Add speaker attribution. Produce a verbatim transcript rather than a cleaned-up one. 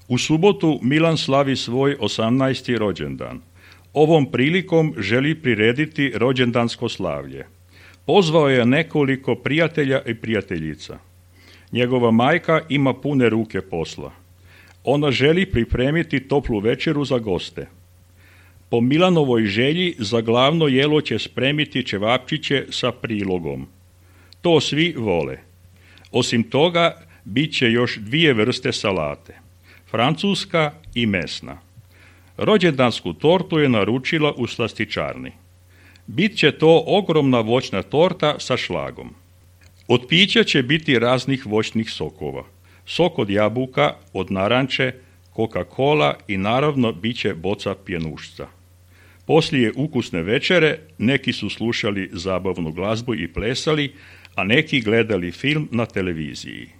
Speaker 1: U subotu Milan slavi svoj osamnaesti rođendan. Ovom prilikom želi prirediti rođendansko slavlje. Pozvao je nekoliko prijatelja i prijateljica. Njegova majka ima pune ruke posla. Ona želi pripremiti toplu večeru za goste. Po Milanovoj želji za glavno jelo će spremiti ćevapčiće sa prilogom. To svi vole. Osim toga, bit će još dvije vrste salate. Francuska i mesna. Rođendansku tortu je naručila u slastičarni. Bit će to ogromna voćna torta sa šlagom. Od pića će biti raznih voćnih sokova. Sok od jabuka, od naranče, Coca-Cola i naravno bit će boca pjenušca. Poslije ukusne večere neki su slušali zabavnu glazbu i plesali, a neki gledali film na televiziji.